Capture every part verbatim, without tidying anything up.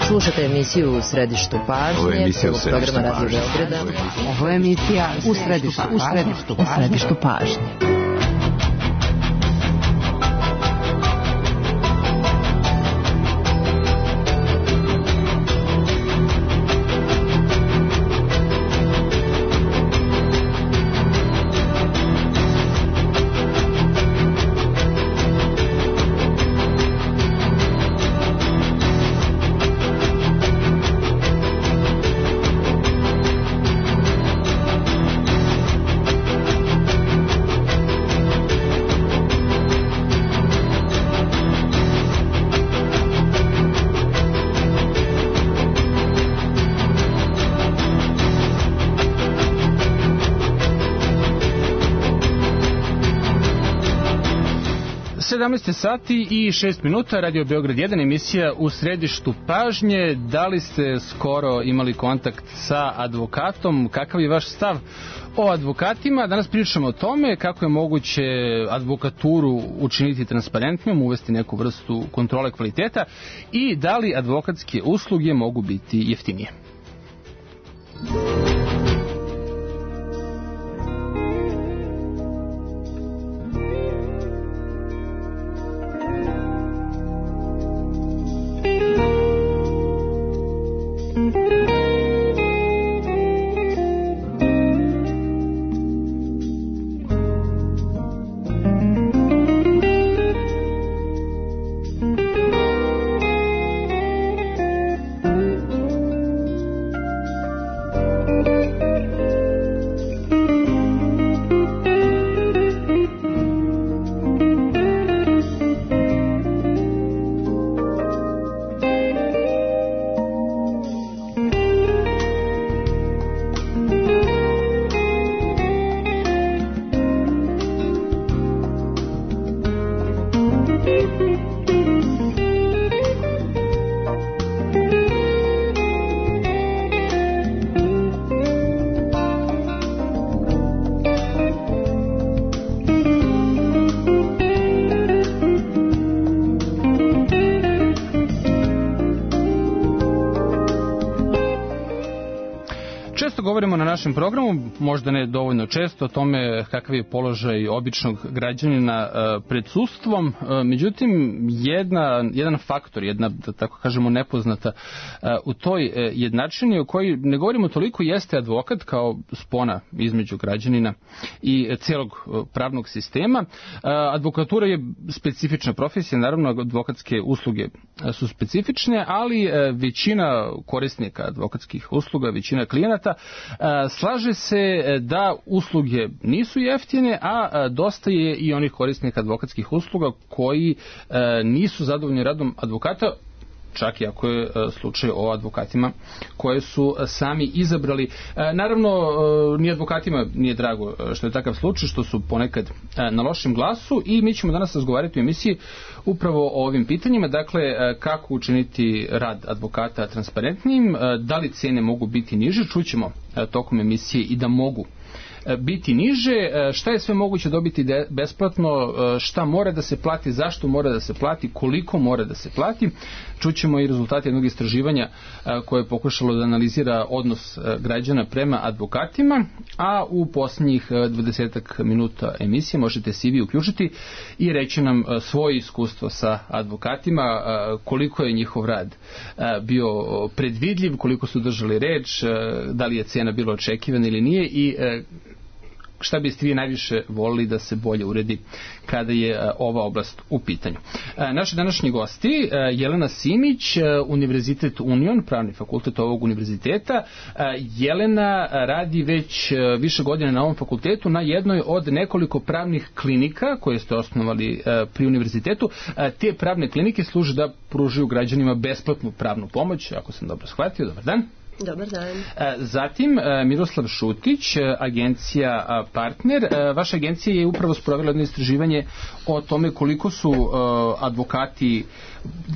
Slušate emisiju U središtu pažnje, prvog programa Radio Beograda. Ovo je emisija U središtu, u središtu, u središtu pažnje. sedamnaest sati i šest minuta, Radio Beograd jedan, emisija U središtu pažnje. Da li ste skoro imali kontakt sa advokatom? Kakav je vaš stav o advokatima? Danas pričamo o tome kako je moguće advokaturu učiniti transparentnijom, uvesti neku vrstu kontrole kvaliteta i da li advokatske usluge mogu biti jeftinije. Govorimo na našem programu, možda ne dovoljno često, o tome kakav je položaj običnog građanina pred sudstvom. Međutim, jedna, jedan faktor, jedna, da tako kažemo, nepoznata u toj jednačini o kojoj ne govorimo toliko jeste advokat kao spona između građanina i celog pravnog sistema. Advokatura je specifična profesija, naravno advokatske usluge su specifične, ali većina korisnika advokatskih usluga, većina klijenata slaže se da usluge nisu jeftine, a dosta je i onih korisnika advokatskih usluga koji nisu zadovoljni radom advokata, čak i ako je slučaj o advokatima koje su sami izabrali. Naravno, ni advokatima nije drago što je takav slučaj, što su ponekad na lošem glasu i mi ćemo danas razgovarati u emisiji upravo o ovim pitanjima. Dakle, kako učiniti rad advokata transparentnijim, da li cene mogu biti niže, čućemo tokom emisije i da mogu biti niže, šta je sve moguće dobiti besplatno, šta mora da se plati, zašto mora da se plati, koliko mora da se plati. Čućemo i rezultate jednog istraživanja koje je pokušalo da analizira odnos građana prema advokatima, a u posljednjih dvadesetak minuta emisije možete se i vi uključiti i reći nam svoje iskustvo sa advokatima, koliko je njihov rad bio predvidljiv, koliko su držali reč, da li je cena bila očekivana ili nije i šta biste vi najviše volili da se bolje uredi kada je ova oblast u pitanju. Naši današnji gosti, Jelena Simić, Univerzitet Union, pravni fakultet ovog univerziteta. Jelena radi već više godina na ovom fakultetu na jednoj od nekoliko pravnih klinika koje ste osnovali pri univerzitetu. Te pravne klinike služe da pružaju građanima besplatnu pravnu pomoć, ako sam dobro shvatio. Dobar dan. Dobar dan. Zatim, Miroslav Šutić, agencija Partner. Vaša agencija je upravo sprovela jedno istraživanje o tome koliko su advokati,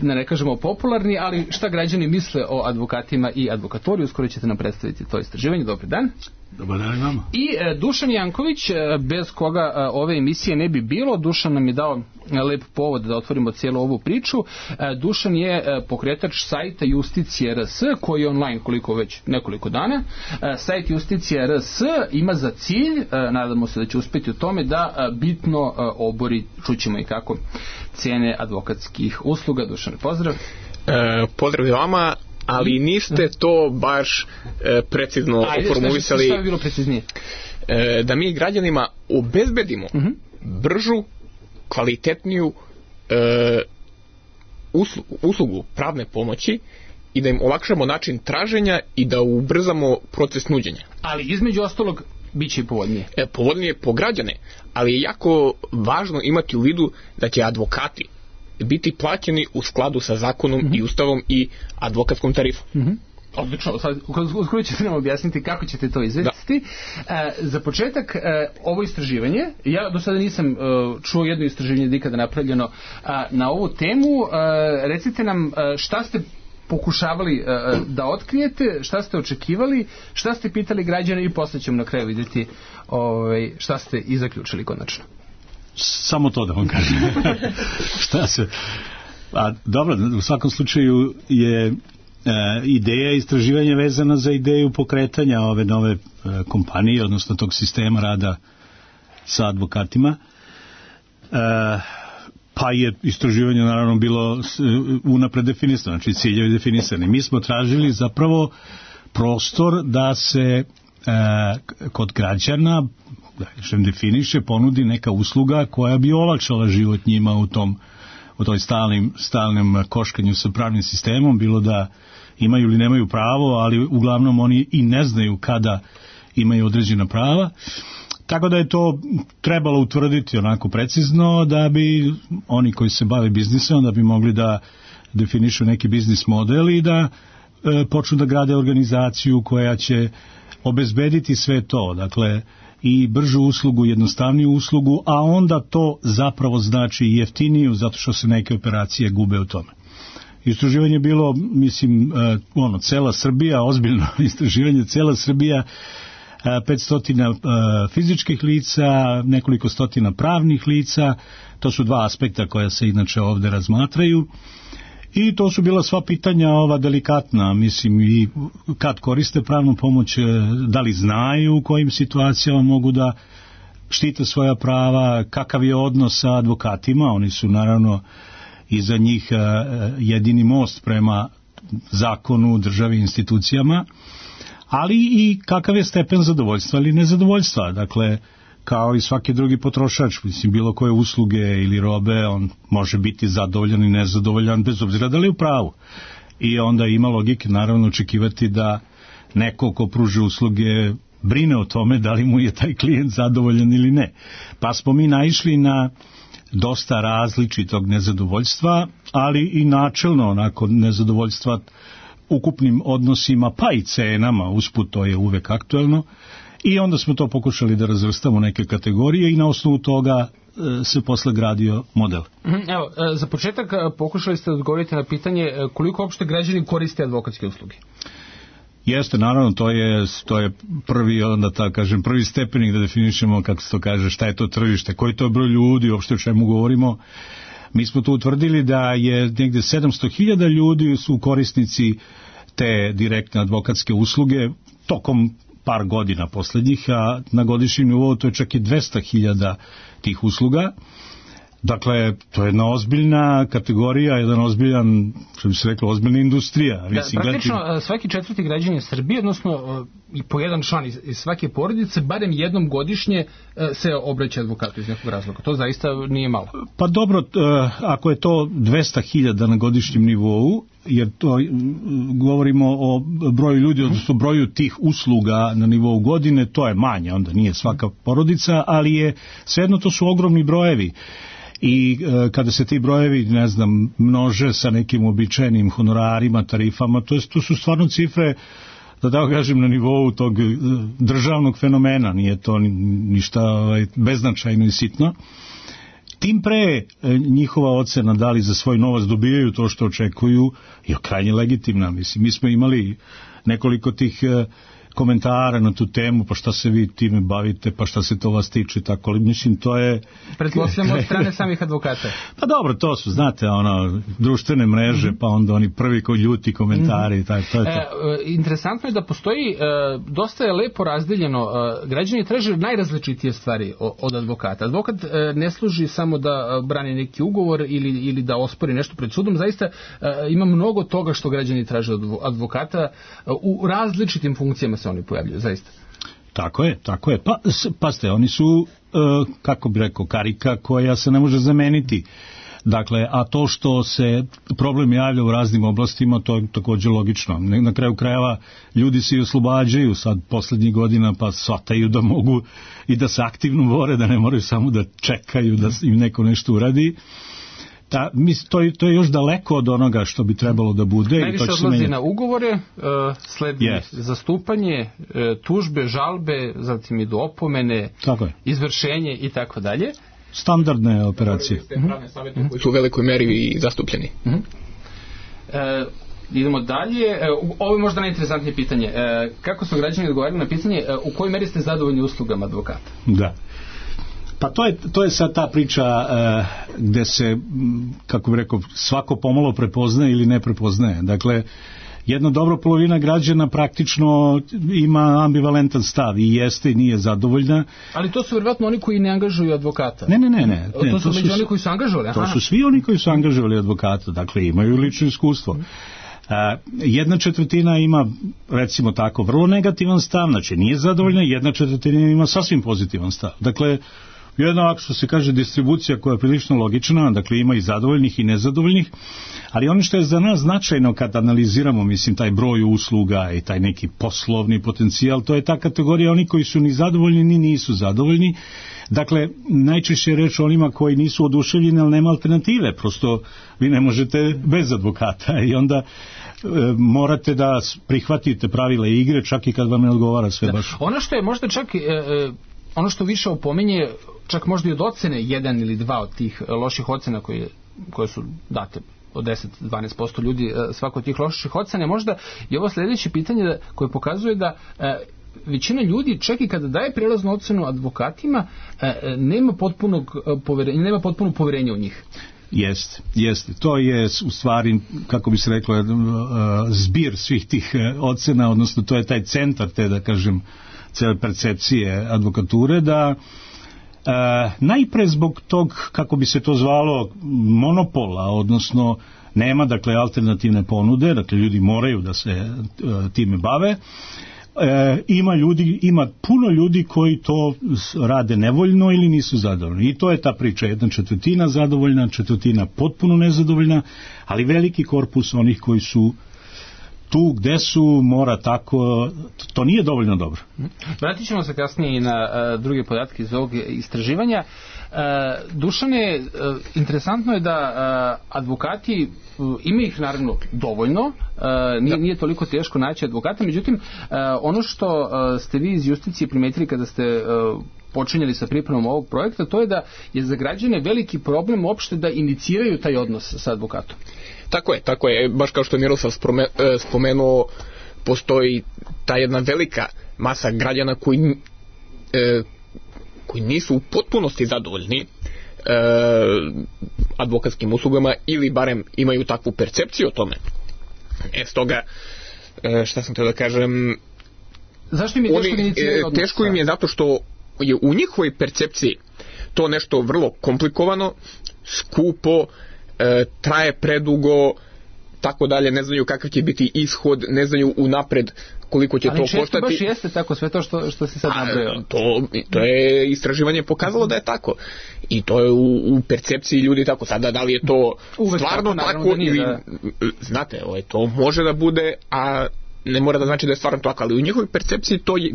ne kažemo popularni, ali šta građani misle o advokatima i advokaturi. Uskoro ćete nam predstaviti to istraživanje. Dobar dan. Dobar dan vama. I e, Dušan Janković, e, bez koga e, ove emisije ne bi bilo. Dušan nam je dao e, lep povod da otvorimo cijelu ovu priču. E, Dušan je e, pokretač sajta Justicije R S, koji je online koliko već nekoliko dana. E, sajt Justicije R S ima za cilj, e, nadamo se da će uspjeti u tome, da e, bitno e, obori, čućemo i kako, cijene advokatskih usluga. Dušan, pozdrav. E, pozdrav vama. Ali niste to baš e, precizno formulisali. Šta je bilo preciznije? E, da mi građanima obezbedimo uh-huh. bržu, kvalitetniju e, uslugu, uslugu pravne pomoći i da im olakšamo način traženja i da ubrzamo proces nuđenja. Ali između ostalog biće i povoljnije. E, povoljnije po građane, ali je jako važno imati u vidu da će advokati biti plaćeni u skladu sa zakonom mm-hmm. i ustavom i advokatskom tarifom. Mm-hmm. Odlično, sad uskoro ćete nam objasniti kako ćete to izvesti. E, za početak, e, ovo istraživanje, ja do sada nisam e, čuo jedno istraživanje nikada napravljeno a, na ovu temu. E, recite nam e, šta ste pokušavali e, da otkrijete, šta ste očekivali, šta ste pitali građane i posle ćemo na kraju vidjeti ovaj, šta ste i zaključili konačno. Samo to da vam kažem. Šta se... A, dobro, u svakom slučaju je e, ideja istraživanja vezana za ideju pokretanja ove nove e, kompanije, odnosno tog sistema rada sa advokatima. E, pa je istraživanje naravno bilo unapred definisano, znači ciljevi definisani. Mi smo tražili zapravo prostor da se e, kod građana, da što im definiše, ponudi neka usluga koja bi olakšala život njima u tom, u toj stalnim, stalnom koškanju sa pravnim sistemom, bilo da imaju ili nemaju pravo, ali uglavnom oni i ne znaju kada imaju određena prava. Tako da je to trebalo utvrditi onako precizno da bi oni koji se bave biznisom, da bi mogli da definišu neki biznis model i da e, počnu da grade organizaciju koja će obezbediti sve to. Dakle, i bržu uslugu, jednostavniju uslugu, a onda to zapravo znači i jeftiniju, zato što se neke operacije gube u tome. Istraživanje je bilo, mislim, ono, cela Srbija, ozbiljno istraživanje, cela Srbija, petsto fizičkih lica, nekoliko stotina pravnih lica, to su dva aspekta koja se inače ovde razmatraju. I to su bila sva pitanja ova delikatna, mislim, i kad koriste pravnu pomoć, da li znaju u kojim situacijama mogu da štite svoja prava, kakav je odnos sa advokatima, oni su naravno i za njih jedini most prema zakonu, državi, institucijama, ali i kakav je stepen zadovoljstva ili nezadovoljstva, dakle, kao i svaki drugi potrošač, mislim, bilo koje usluge ili robe, on može biti zadovoljan i nezadovoljan bez obzira da li je u pravu. I onda ima logike naravno očekivati da neko ko pruži usluge brine o tome da li mu je taj klijent zadovoljan ili ne. Pa smo mi naišli na dosta različitog nezadovoljstva, ali i načelno onako nezadovoljstva ukupnim odnosima, pa i cenama, usput to je uvek aktuelno. I onda smo to pokušali da razvrstamo neke kategorije i na osnovu toga e, se posle gradio model. Evo, za početak pokušali ste odgovoriti na pitanje koliko uopšte građani koriste advokatske usluge. Jeste, naravno, to je, to je prvi, onda tako kažem, prvi stepenik da definišemo, kako se to kaže, šta je to tržište, koji to je broj ljudi, uopšte o čemu govorimo. Mi smo tu utvrdili da je negde sedamsto hiljada ljudi su korisnici te direktne advokatske usluge tokom par godina poslednjih, a na godišnjem nivou to je čak i dvesta hiljada tih usluga. Dakle, to je jedna ozbiljna kategorija, jedan ozbiljan, što bi se reklo, ozbiljna industrija. Da, praktično, gledati... svaki četvrti građanin Srbije, odnosno i po jedan član iz svake porodice, barem jednom godišnje se obraća advokatu iz nekog razloga. To zaista nije malo. Pa dobro, ako je to dvesta hiljada na godišnjem nivou, jer to govorimo o broju ljudi, odnosno broju tih usluga na nivou godine, to je manje, onda nije svaka porodica, ali je svejedno to su ogromni brojevi. I e, kada se ti brojevi, ne znam, množe sa nekim običajnim honorarima, tarifama, to, je, to su stvarno cifre, da tako kažem, na nivou tog e, državnog fenomena, nije to ništa ovaj, beznačajno i sitno. Tim pre e, njihova ocena da li za svoj novac dobijaju to što očekuju je krajnje legitimna. Mislim, mi smo imali nekoliko tih e, komentara na tu temu, pa šta se vi time bavite, pa šta se to vas tiče, tako, ali mislim, to je... Pretpostavljamo od strane samih advokata. Pa dobro, to su, znate, ono, društvene mreže, mm-hmm. pa onda oni prvi koji ljuti komentari, mm-hmm. taj, to je to. E, interesantno je da postoji, e, dosta je lepo razdeljeno, e, građani traže najrazličitije stvari od advokata. Advokat e, ne služi samo da brani neki ugovor ili, ili da ospori nešto pred sudom, zaista e, ima mnogo toga što građani traže od advokata, e, u različitim funkcijama se oni pojavljaju, zaista. Tako je, tako je. Pa, pazite, oni su, e, kako bi rekao, karika koja se ne može zameniti. Dakle, a to što se problem javlja u raznim oblastima, to je također logično. Na kraju krajeva ljudi se i oslobađaju sad poslednjih godina, pa shvataju da mogu i da se aktivno bore, da ne moraju samo da čekaju da im neko nešto uradi. Ta, mis, to, je, to je još daleko od onoga što bi trebalo da bude. Najviše i to odlazi menja... na ugovore, uh, sledi yes. zastupanje, uh, tužbe, žalbe, zatim idu opomene, izvršenje i tako dalje. Standardne operacije. Pravne savjete koji su u velikoj meri i zastupljeni. Uh-huh. E, idemo dalje. E, ovo je možda najinteresantnije pitanje. E, kako su građani odgovarali na pitanje e, u kojoj meri ste zadovoljni uslugama advokata? Da. Pa to je, to je sad ta priča e, gde se, kako bih rekao, svako pomalo prepoznaje ili ne prepoznaje. Dakle, jedna dobra polovina građana praktično ima ambivalentan stav i jeste i nije zadovoljna. Ali to su vjerovatno oni koji ne angažuju advokata. Ne, ne, ne. ne. To, to su među oni koji su angažovali. Aha. To su svi oni koji su angažovali advokata, dakle imaju lično iskustvo. A, jedna četvrtina ima, recimo tako, vrlo negativan stav, znači nije zadovoljna, jedna četvrtina ima sasvim pozitivan stav. Dakle, jedna, ako što se kaže, distribucija koja je prilično logična, dakle ima i zadovoljnih i nezadovoljnih, ali ono što je za nas značajno kad analiziramo, mislim, taj broj usluga i taj neki poslovni potencijal, to je ta kategorija oni koji su ni zadovoljni ni nisu zadovoljni. Dakle, najčešće je reč o onima koji nisu oduševljeni, ali nema alternative, prosto vi ne možete bez advokata i onda e, morate da prihvatite pravila igre, čak i kad vam ne odgovara sve da. Baš. Ono što je možda čak... E, e... Ono što više opominje, čak možda i od ocene, jedan ili dva od tih loših ocena koje, koje su date od deset do dvanaest posto ljudi svako od tih loših ocena, možda i ovo sljedeće pitanje koje pokazuje da e, većina ljudi, čak i kada daje prijelaznu ocenu advokatima, e, nema potpunog poverenja, nema potpuno poverenja u njih. Jeste, jeste. To je u stvari, kako bi se reklo, zbir svih tih ocena, odnosno to je taj centar te, da kažem, cele percepcije advokature, da e, najpre zbog tog, kako bi se to zvalo, monopola, odnosno nema, dakle, alternativne ponude, dakle, ljudi moraju da se e, time bave, e, ima ljudi, ima puno ljudi koji to rade nevoljno ili nisu zadovoljni. I to je ta priča, jedna četvrtina zadovoljna, četvrtina potpuno nezadovoljna, ali veliki korpus onih koji su tu gde su, mora tako, to nije dovoljno dobro. Vratit ćemo se kasnije i na uh, druge podatke iz ovog istraživanja. Uh, Dušane, uh, interesantno je da uh, advokati, uh, ima ih naravno dovoljno, uh, nije, nije toliko teško naći advokata, međutim, uh, ono što uh, ste vi iz Justicije primetili kada ste uh, počinjali sa pripremom ovog projekta, to je da je za građane veliki problem uopšte da iniciraju taj odnos sa advokatom. Tako je, tako je. Baš kao što je Miroslav spomenuo, postoji ta jedna velika masa građana koji, e, koji nisu u potpunosti zadovoljni e, advokatskim uslugama ili barem imaju takvu percepciju o tome. E, stoga, e, šta sam teo da kažem... Zašto im je teško oni, iniciraju odnos? Teško im je zato što je u njihovoj percepciji to nešto vrlo komplikovano, skupo, E, traje predugo, tako dalje, ne znaju kakav će biti ishod, ne znaju unapred koliko će ali to koštati. Ali često baš jeste tako sve to što, što si sad nabrojao. To, to je istraživanje pokazalo da je tako. I to je u, u percepciji ljudi tako. Sada da li je to uvek stvarno tako, tako ili, da... znate, ovaj, to može da bude, a ne mora da znači da je stvarno tako, ali u njihovoj percepciji to je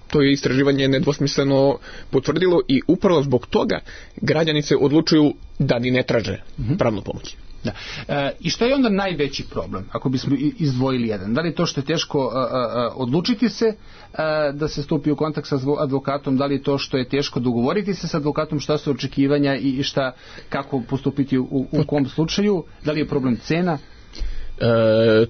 to je istraživanje nedvosmisleno potvrdilo i upravo zbog toga građani se odlučuju da ni ne traže mm-hmm. pravnu pomoć. Da. E, I što je onda najveći problem, ako bismo izdvojili jedan? Da li je to što je teško a, a, odlučiti se a, da se stupi u kontakt sa advokatom, da li je to što je teško dogovoriti se sa advokatom, šta su očekivanja i šta, kako postupiti u, u kom slučaju, da li je problem cena? E,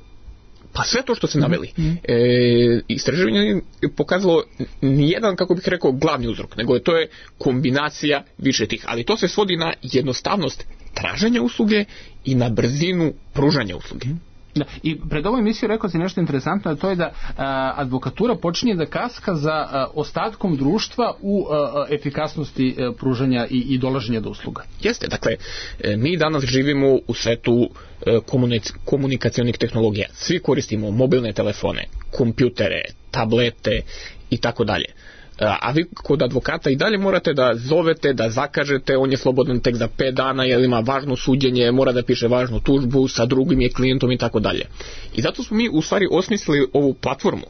Pa sve to što ste naveli. E, istraživanje je pokazalo nijedan, kako bih rekao, glavni uzrok, nego to je kombinacija više tih. Ali to se svodi na jednostavnost traženja usluge i na brzinu pružanja usluge. Da, i pred ovom emisijom rekao si nešto interesantno, a to je da a, advokatura počinje da kaska za a, ostatkom društva u a, efikasnosti a, pružanja i, i dolaženja do usluga. Jeste, dakle, mi danas živimo u svetu komunic- komunikacionih tehnologija. Svi koristimo mobilne telefone, kompjutere, tablete i tako dalje. A vi kod advokata i dalje morate da zovete, da zakažete, on je slobodan tek za pet dana jer ima važno suđenje, mora da piše važnu tužbu, sa drugim je klijentom i tako dalje. I zato smo mi u stvari osmislili ovu platformu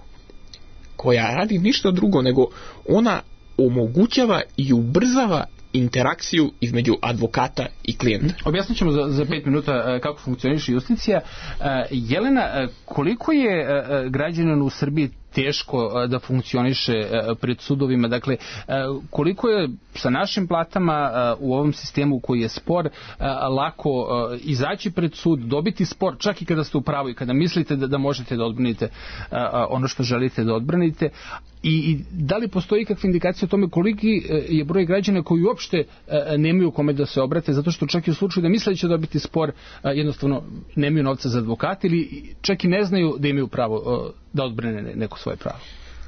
koja radi ništa drugo nego ona omogućava i ubrzava interakciju između advokata i klijenta. Objasnit ćemo za, za pet minuta kako funkcioniše Justicija. Jelena, koliko je građanin u Srbiji teško da funkcioniše pred sudovima? Dakle, koliko je sa našim platama u ovom sistemu koji je spor lako izaći pred sud, dobiti spor, čak i kada ste u pravu i kada mislite da, da možete da odbranite ono što želite da odbranite. I, i da li postoji kakva indikacija o tome koliki je broj građana koji uopšte nemaju kome da se obrate, zato što čak i u slučaju da misle da će dobiti spor, jednostavno nemaju novca za advokata ili čak i ne znaju da imaju pravo da odbrane neko svoje pravo.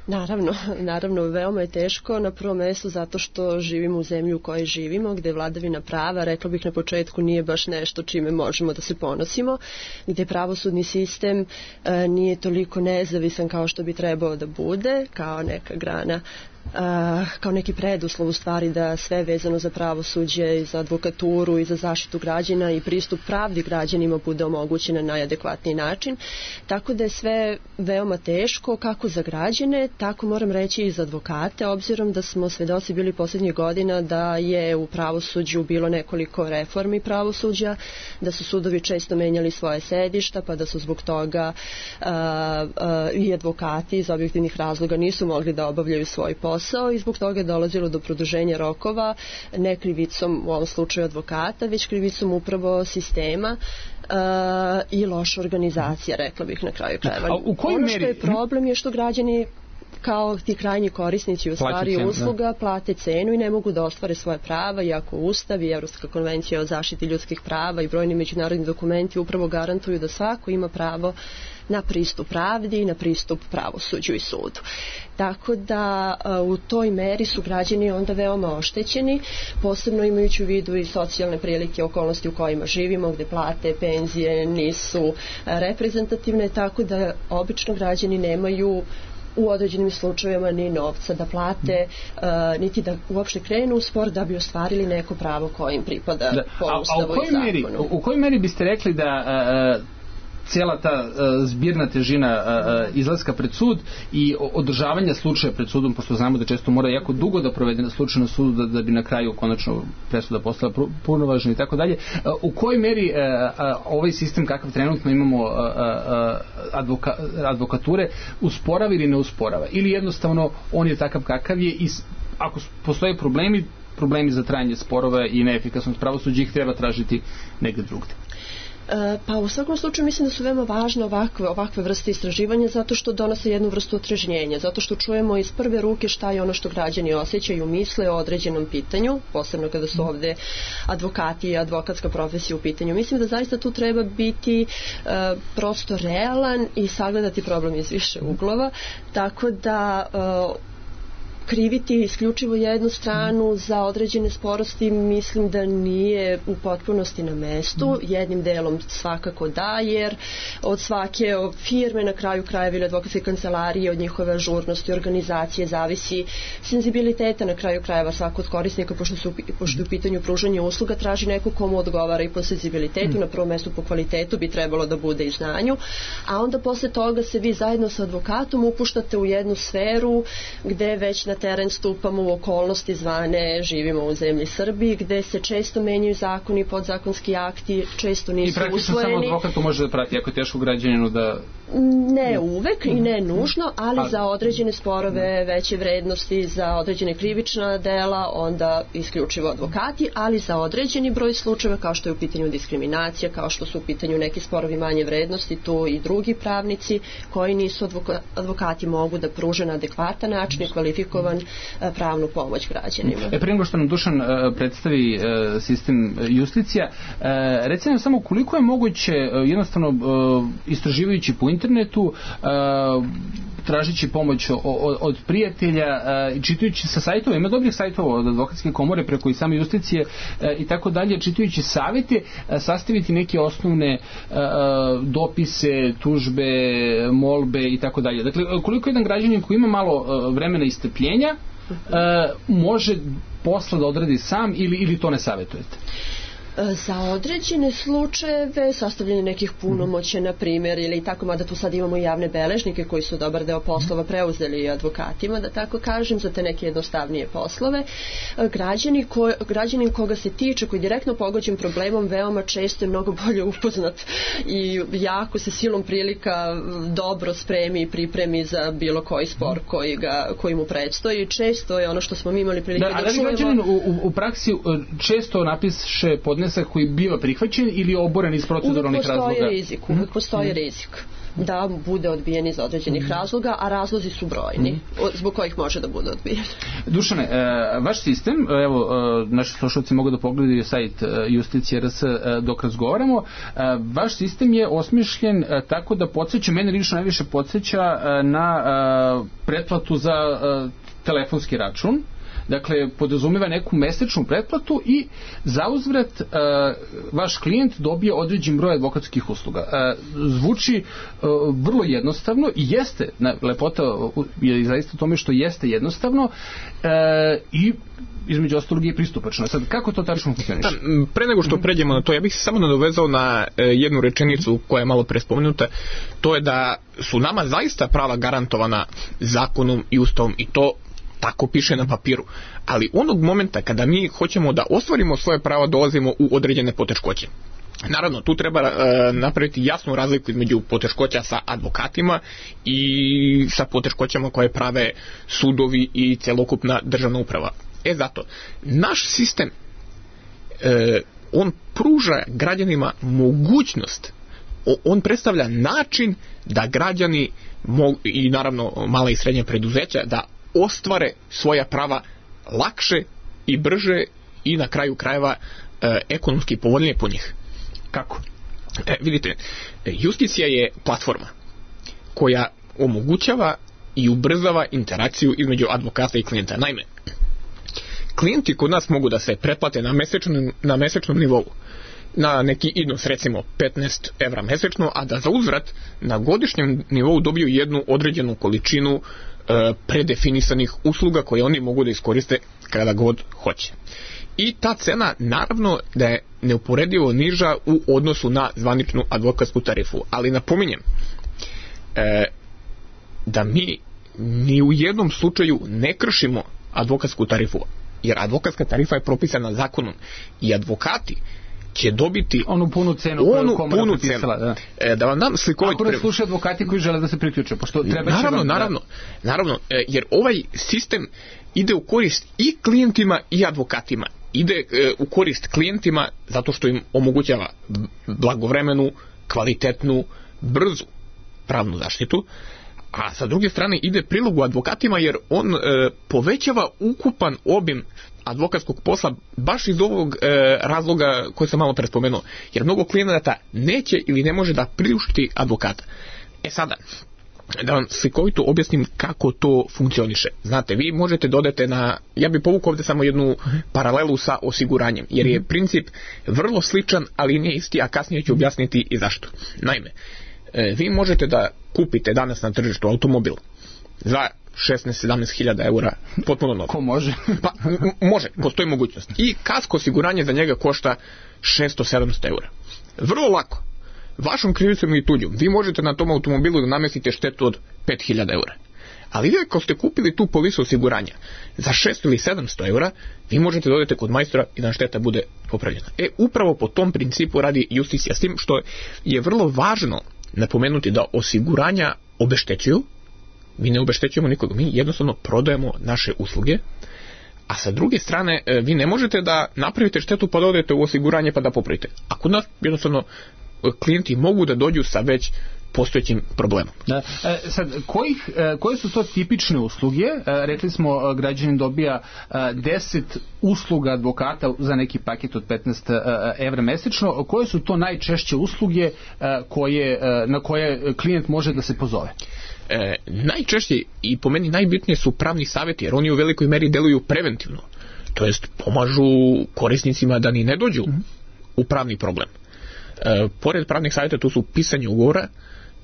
Naravno, naravno, veoma je teško na prvom mjestu zato što živimo u zemlji u kojoj živimo, gdje vladavina prava, rekla bih na početku, nije baš nešto čime možemo da se ponosimo, gdje pravosudni sistem e, nije toliko nezavisan kao što bi trebao da bude, kao neka grana, Uh, kao neki preduslov u stvari da sve vezano za pravosuđe i za advokaturu i za zaštitu građana i pristup pravdi građanima bude omogućen na najadekvatniji način. Tako da je sve veoma teško kako za građane, tako moram reći i za advokate, obzirom da smo svedoci bili posljednjih godina da je u pravosuđu bilo nekoliko reformi pravosuđa, da su sudovi često menjali svoje sedišta, pa da su zbog toga uh, uh, i advokati iz objektivnih razloga nisu mogli da obavljaju svoj posao posao i zbog toga je dolazilo do produženja rokova, ne krivicom u ovom slučaju advokata, već krivicom upravo sistema uh, i loša organizacija, rekla bih na kraju krajeva. Ono što je problem je što građani kao ti krajnji korisnici u stvari cenu, usluga da. plate cenu i ne mogu da ostvare svoje prava, iako Ustav i Evropska konvencija o zaštiti ljudskih prava i brojni međunarodni dokumenti upravo garantuju da svako ima pravo na pristup pravdi i na pristup pravosuđu i sudu. Tako da u toj meri su građani onda veoma oštećeni, posebno imajući u vidu i socijalne prilike, okolnosti u kojima živimo, gdje plate, penzije nisu reprezentativne, tako da obično građani nemaju u određenim slučajevima ni novca da plate, uh, niti da uopšte krenu u spor da bi ostvarili neko pravo koje im pripada da. po Ustavu i zakonu. Meri, u kojoj meri biste rekli da uh, cijela ta uh, zbirna težina uh, izlaska pred sud i održavanja slučaja pred sudom, pošto znamo da često mora jako dugo da provede slučaj na sudu da, da bi na kraju konačno presuda postala punovažna i tako dalje, u kojoj meri uh, uh, ovaj sistem kakav trenutno imamo uh, uh, advoka, advokature usporava ili ne usporava, ili jednostavno on je takav kakav je i ako postoje problemi problemi za trajanje sporova i neefikasnost pravosuđa ih treba tražiti negdje drugdje. Pa u svakom slučaju mislim da su veoma važne ovakve, ovakve vrste istraživanja zato što donose jednu vrstu otrežnjenja, zato što čujemo iz prve ruke šta je ono što građani osjećaju, misle o određenom pitanju, posebno kada su ovdje advokati i advokatska profesija u pitanju. Mislim da zaista tu treba biti uh, prosto realan i sagledati problem iz više uglova, tako da uh, kriviti isključivo jednu stranu za određene sporosti mislim da nije u potpunosti na mestu. Jednim delom svakako da, jer od svake firme na kraju krajeva ili advokatske kancelarije, od njihove ažurnosti, organizacije zavisi senzibiliteta na kraju krajeva svakog korisnika, pošto su pošto u pitanju pružanje usluga traži neko komu odgovara i po senzibilitetu, na prvom mestu po kvalitetu bi trebalo da bude i znanju, a onda posle toga se vi zajedno sa advokatom upuštate u jednu sferu gde već na teren stupamo u okolnosti zvane živimo u zemlji Srbiji, gde se često menjaju zakoni, podzakonski akti, često nisu usvojeni. I praktično samo advokat to može da prati, ako je teško građaninu da... Ne uvek i ne nužno, ali A... za određene sporove veće vrednosti, za određene krivična dela, onda isključivo advokati, ali za određeni broj slučajeva, kao što je u pitanju diskriminacija, kao što su u pitanju neki sporovi manje vrednosti, tu i drugi pravnici koji nisu advoka, advokati mogu da pruže na adekvatan način i kvalifikovan pravnu pomoć građanima. E, prije nego što nam Dušan uh, predstavi uh, sistem justicija, uh, recimo samo koliko je moguće uh, jednostavno uh, istraživajući po internetu, uh, tražići pomoć o, o, od prijatelja uh, i čitajući sa sajtova, ima dobrih sajtova od advokatske komore preko i same justicije uh, i tako dalje, čitajući savjete, uh, sastaviti neke osnovne uh, dopise, tužbe, molbe i tako dalje. Dakle, koliko jedan građanin koji ima malo uh, vremena i strpljenja uh, može posla da odradi sam ili, ili to ne savjetujete? Za određene slučajeve sastavljanje nekih punomoća, na primjer, ili tako, mada tu sad imamo i javne beležnike koji su dobar deo poslova preuzeli advokatima, da tako kažem, za te neke jednostavnije poslove. Građani ko, građanin koga se tiče, koji direktno pogođen problemom, veoma često je mnogo bolje upoznat i jako se silom prilika dobro spremi i pripremi za bilo koji spor koji, ga, koji mu predstoji. Često je ono što smo mi imali prilike da, da čujemo... Da, ali građanin u, u praksi često napiše pod koji biva prihvaćen ili oboren iz proceduralnih razloga? Uvijek postoji rizik, uvijek postoji mm. rizik da bude odbijen iz određenih mm. razloga, a razlozi su brojni, mm. zbog kojih može da bude odbijen. Dušane, vaš sistem, evo, naši slušalci mogu da pogledaju sajt Justicija R S dok razgovaramo, vaš sistem je osmišljen tako da podsjeća, mene lično najviše podsjeća na pretplatu za telefonski račun. Dakle, podrazumeva neku mesečnu pretplatu i zauzvrat uh, vaš klijent dobije određen broj advokatskih usluga. Uh, zvuči uh, vrlo jednostavno i jeste, na, lepota je zaista tome što jeste jednostavno uh, i između ostalog je pristupačno. Sad, kako to tačno funkcioniše? Pre nego što pređemo na to, ja bih se samo nadovezao na e, jednu rečenicu koja je malo pre spomenuta, to je da su nama zaista prava garantovana zakonom i ustavom i to tako piše na papiru, ali onog momenta kada mi hoćemo da ostvarimo svoje pravo, dolazimo u određene poteškoće. Naravno, tu treba e, napraviti jasnu razliku između poteškoća sa advokatima i sa poteškoćama koje prave sudovi i celokupna državna uprava. E zato, naš sistem e, on pruža građanima mogućnost, on predstavlja način da građani mogu, i naravno mala i srednja preduzeća, da ostvare svoja prava lakše i brže i na kraju krajeva e, ekonomski povoljnije po njih. Kako? E, vidite, justicija je platforma koja omogućava i ubrzava interakciju između advokata i klijenta. Naime, klijenti kod nas mogu da se pretplate na mesečnom, na mesečnom nivou na neki iznos, recimo petnaest evra mesečno, a da za uzvrat na godišnjem nivou dobiju jednu određenu količinu e, predefinisanih usluga koje oni mogu da iskoriste kada god hoće. I ta cena naravno da je neuporedivo niža u odnosu na zvaničnu advokatsku tarifu. Ali napominjem e, da mi ni u jednom slučaju ne kršimo advokatsku tarifu, jer advokatska tarifa je propisana zakonom i advokati će dobiti onu punu cenu onu punu cenu. Da. E, da vam dam slikovit Ako ne slušaju advokati koji žele da se priključe, pošto treba naravno, vam, naravno, da... naravno, e, jer ovaj sistem ide u korist i klijentima i advokatima. Ide e, u korist klijentima zato što im omogućava blagovremenu, kvalitetnu, brzu pravnu zaštitu, a sa druge strane ide prilogu advokatima jer on e, povećava ukupan obim advokatskog posla baš iz ovog e, razloga koji sam malo prespomenuo. Jer mnogo klijenata neće ili ne može da priušti advokata. E sada, da vam slikovito objasnim kako to funkcioniše. Znate, vi možete dodati na... Ja bih povukao ovdje samo jednu paralelu sa osiguranjem, jer je princip vrlo sličan, ali nije isti, a kasnije ću objasniti i zašto. Naime, e, vi možete da kupite danas na tržištu automobil za šesnaest sedamnaest hiljada eura, potpuno novo. Ko može? Pa, m- može, postoji mogućnost. I kasko osiguranje za njega košta šesto sedamsto eura. Vrlo lako. Vašom krivicom i tuđom, vi možete na tom automobilu da namestite štetu od pet hiljada eura. Ali vi ako ste kupili tu polisu osiguranja za šesto ili sedamsto eura, vi možete da odete kod majstora i da šteta bude popravljena. E, upravo po tom principu radi Justicija, s tim što je vrlo važno napomenuti da osiguranja obeštećuju, mi ne obeštećujemo nikoga, mi jednostavno prodajemo naše usluge, a sa druge strane vi ne možete da napravite štetu pa da odete u osiguranje pa da popravite. A kod nas jednostavno klijenti mogu da dođu sa već postojećim problemom. Da. E, sad, kojih, e, koje su to tipične usluge? E, rekli smo, građanin dobija e, deset usluga advokata za neki paket od petnaest evra mesečno. Koje su to najčešće usluge e, koje, e, na koje klijent može da se pozove? E, najčešće i po meni najbitnije su pravni savjeti, jer oni u velikoj meri deluju preventivno. To jest pomažu korisnicima da ni ne dođu mm-hmm. u pravni problem. E, pored pravnih savjeta tu su pisanje ugovora,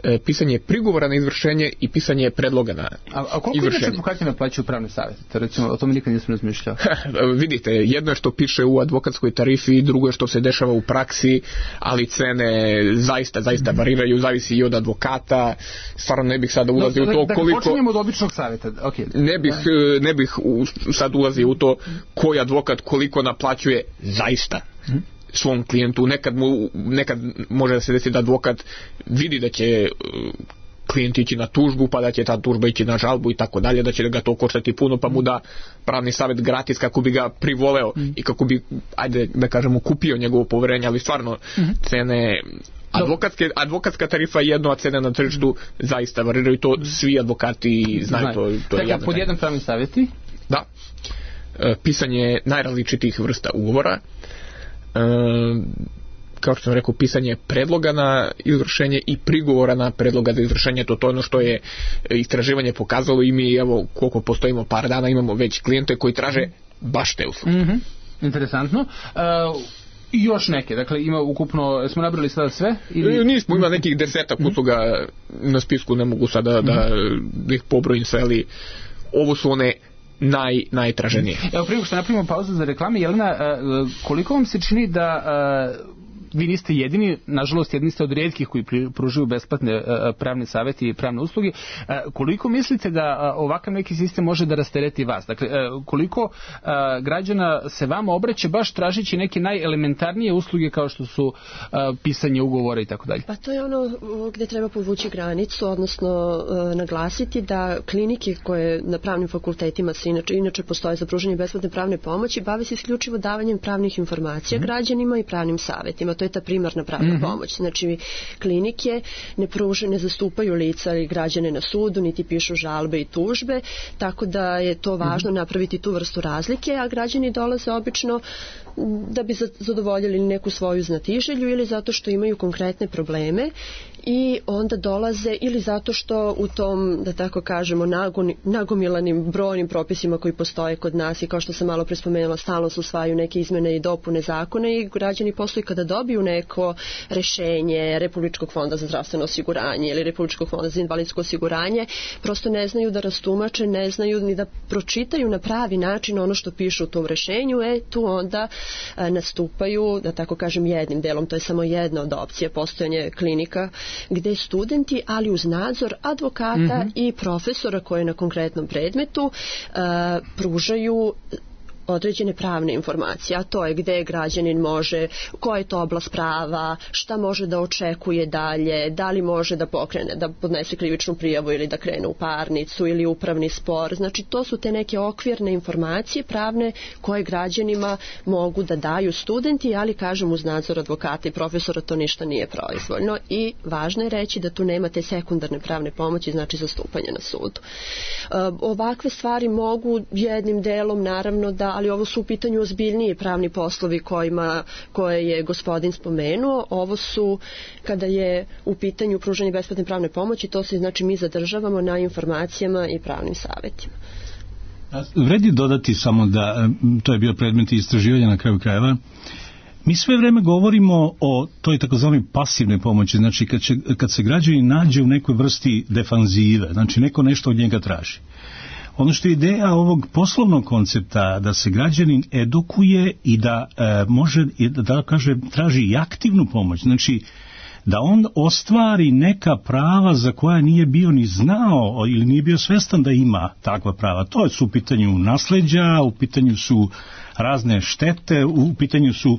e, pisanje prigovora na izvršenje i pisanje predloga na izvršenje. A, a koliko inače advokati naplaćuju pravne savjete? To recimo, o tome nikad nisam razmišljao. Vidite, jedno je što piše u advokatskoj tarifi, drugo je što se dešava u praksi, ali cene zaista, zaista variraju, zavisi i od advokata. Stvarno ne bih sada ulazio no, u to da, koliko... Da počinjemo od običnog savjeta. Okay. Ne bih, ne bih u, sad ulazio u to koji advokat koliko naplaćuje zaista svom klijentu. Nekad, mu, nekad može da se desi da advokat vidi da će klijent ići na tužbu, pa da će ta tužba ići na žalbu i tako dalje, da će ga to koštati puno, pa mu da pravni savjet gratis kako bi ga privoleo mm. i kako bi, ajde da kažemo, kupio njegovo poverenje, ali stvarno mm-hmm. cene advokatske, advokatska tarifa je jedno, a cene na tržištu zaista variraju, to svi advokati znaju. Znaju. To, to Tako, je pod jedan pravni savjeti? Da. E, pisanje najrazličitijih vrsta ugovora, e, kao što sam rekao, pisanje predloga na izvršenje i prigovora na predloga za izvršenje. To, to je ono što je istraživanje pokazalo i mi, evo, koliko postojimo par dana, imamo već klijente koji traže baš te usluge. Mm-hmm. Interesantno. Uh, I još neke, dakle ima ukupno, smo nabrali sada sve? Ili... Nismo, ima nekih desetak usluga na spisku, ne mogu sada da, da ih pobrojim sve, ali ovo su one naj, najtraženije. Evo, prije što napravimo pauzu za reklame, Jelena, koliko vam se čini da vi niste jedini, nažalost jedni ste od rijetkih koji pružuju besplatne pravne savjete i pravne usluge, koliko mislite da ovakav neki sistem može da rastereti vas? Dakle, koliko građana se vama obraća baš tražeći neke najelementarnije usluge kao što su pisanje ugovora i tako dalje? Pa to je ono gdje treba povući granicu, odnosno naglasiti da klinike koje na pravnim fakultetima se inače, inače postoje za pružanje besplatne pravne pomoći, bave se isključivo davanjem pravnih informacija mm. građanima i pravnim savjetima. To je ta primarna pravna mm-hmm. pomoć. Znači, klinike ne pruže, ne zastupaju lica i građane na sudu, niti pišu žalbe i tužbe, tako da je to važno mm-hmm. napraviti tu vrstu razlike, a građani dolaze obično da bi zadovoljili neku svoju znatiželju ili zato što imaju konkretne probleme i onda dolaze ili zato što u tom, da tako kažemo, nagoni, nagomilanim brojnim propisima koji postoje kod nas i kao što sam malo prespomenula, stalno se usvajaju neke izmene i dopune zakona i građani posle kada dobiju neko rešenje Republičkog fonda za zdravstveno osiguranje ili Republičkog fonda za invalidsko osiguranje, prosto ne znaju da rastumače, ne znaju ni da pročitaju na pravi način ono što piše u tom rešenju, e tu onda a, nastupaju, da tako kažem, jednim delom, to je samo jedna od opcija, postojanje klinika gdje studenti, ali uz nadzor advokata mm-hmm. i profesora koji na konkretnom predmetu uh, pružaju određene pravne informacije, a to je gdje građanin može, koja je to oblast prava, šta može da očekuje dalje, da li može da pokrene, da podnese krivičnu prijavu ili da krene u parnicu ili upravni spor. Znači, to su te neke okvirne informacije pravne koje građanima mogu da daju studenti, ali kažem uz nadzor advokata i profesora to ništa nije proizvoljno i važno je reći da tu nema te sekundarne pravne pomoći, znači zastupanje na sudu. Ovakve stvari mogu jednim delom naravno da, ali ovo su u pitanju ozbiljniji pravni poslovi kojima, koje je gospodin spomenuo. Ovo su, kada je u pitanju pružanje besplatne pravne pomoći, to se znači mi zadržavamo na informacijama i pravnim savjetima. Vredi dodati samo da, to je bio predmet istraživanja na kraju krajeva, mi sve vreme govorimo o toj takozvanoj pasivnoj pomoći, znači kad, će, kad se građani nađe u nekoj vrsti defanzive, znači neko nešto od njega traži. Ono što je ideja ovog poslovnog koncepta da se građanin edukuje i da e, može, da, da kaže, traži i aktivnu pomoć, znači da on ostvari neka prava za koja nije bio ni znao ili nije bio svestan da ima takva prava. To su u pitanju nasleđa, u pitanju su razne štete, u pitanju su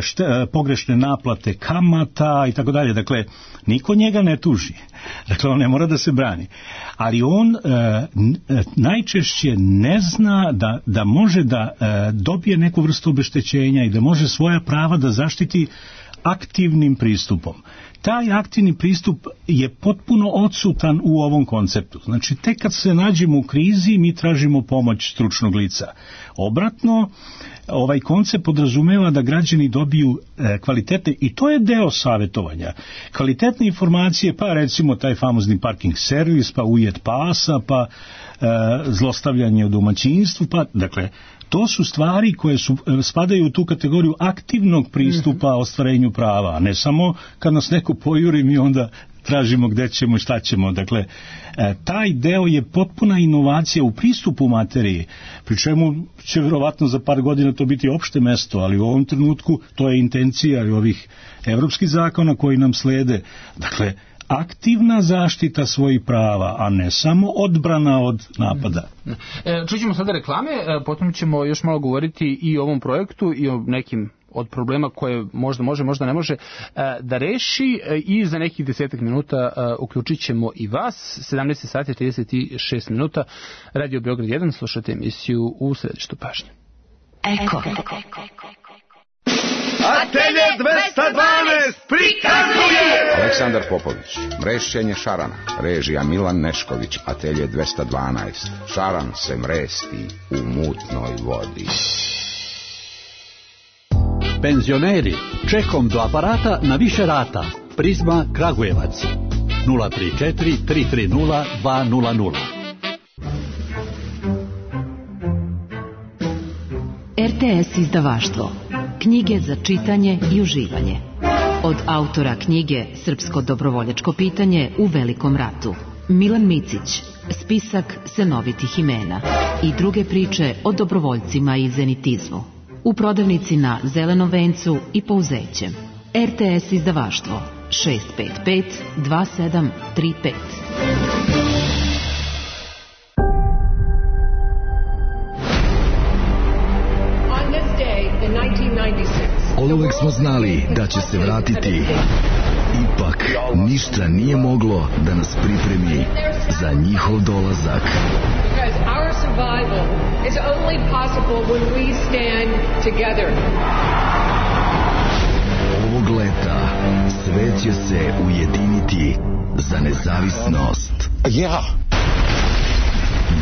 šte, pogrešne naplate kamata i tako dalje. Dakle, niko njega ne tuži. Dakle, on ne mora da se brani. Ali on e, najčešće ne zna da, da može da e, dobije neku vrstu obeštećenja i da može svoja prava da zaštiti aktivnim pristupom. Taj aktivni pristup je potpuno odsutan u ovom konceptu. Znači, tek kad se nađemo u krizi, mi tražimo pomoć stručnog lica. Obratno, ovaj koncept podrazumeva da građani dobiju e, kvalitete, i to je deo savjetovanja. Kvalitetne informacije, pa recimo taj famozni parking servis, pa ujet pasa, pa e, zlostavljanje u domaćinstvu, pa dakle, to su stvari koje su, spadaju u tu kategoriju aktivnog pristupa ostvarenju prava, a ne samo kad nas neko pojuri mi onda tražimo gde ćemo i šta ćemo. Dakle, taj deo je potpuna inovacija u pristupu materiji, pri čemu će vjerovatno za par godina to biti opšte mesto, ali u ovom trenutku to je intencija i ovih evropskih zakona koji nam slede. Dakle, aktivna zaštita svojih prava, a ne samo odbrana od napada. E, čućemo sada reklame, potom ćemo još malo govoriti i o ovom projektu i o nekim od problema koje možda može, možda ne može da reši, i za nekih desetak minuta uključit ćemo i vas. sedamnaest sati trideset šest minuta, Radio Beograd jedan, slušate emisiju U središtu pažnje. Eko. Atelje dvesta dvanaest prikazuje Aleksandar Popović, mrešćenje šarana, režija Milan Nešković. Atelje dvesta dvanaest, šaran se mresti u mutnoj vodi. Penzioneri, čekom do aparata na više rata. Prizma Kragujevac nula tri četiri tri tri nula dva nula nula. R T S izdavaštvo. Knjige za čitanje i uživanje. Od autora knjige Srpsko dobrovoljačko pitanje u Velikom ratu, Milan Micić, spisak senovitih imena i druge priče o dobrovoljcima i zenitizmu. U prodavnici na Zelenom vencu i Pouzećem. R T S izdavaštvo šest pet pet dva sedam tri pet. Oduvek smo znali da će se vratiti. Ipak, ništa nije moglo da nas pripremi za njihov dolazak. Ovog leta svet će se ujediniti za nezavisnost. Ja!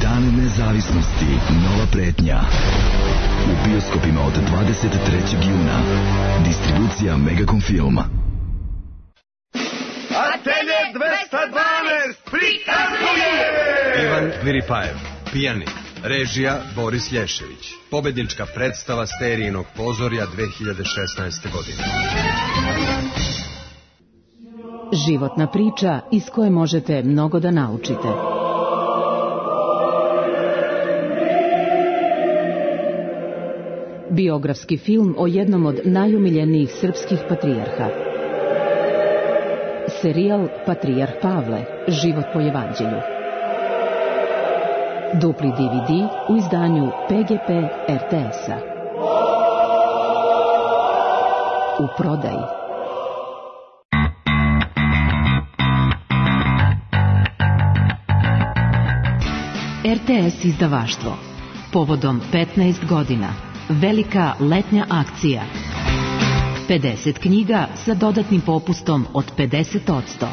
Dan nezavisnosti, nova pretnja. U bioskopima od dvadeset trećeg juna. Distribucija Megacom Filma. Atelje dvesta dvanaest prikazuje Ivan Viripajev, pijanik. Režija Boris Lješević. Pobednička predstava Sterijinog pozorja dve hiljade šesnaeste. godine. Životna priča iz koje možete mnogo da naučite. Biografski film o jednom od najumiljenijih srpskih patrijarha. Serijal Patrijarh Pavle, život po evanđelju. Dupli D V D u izdanju P G P R T S-a. U prodaji. R T S izdavaštvo. Povodom petnaest godina. Velika letnja akcija. pedeset knjiga sa dodatnim popustom od pedeset posto.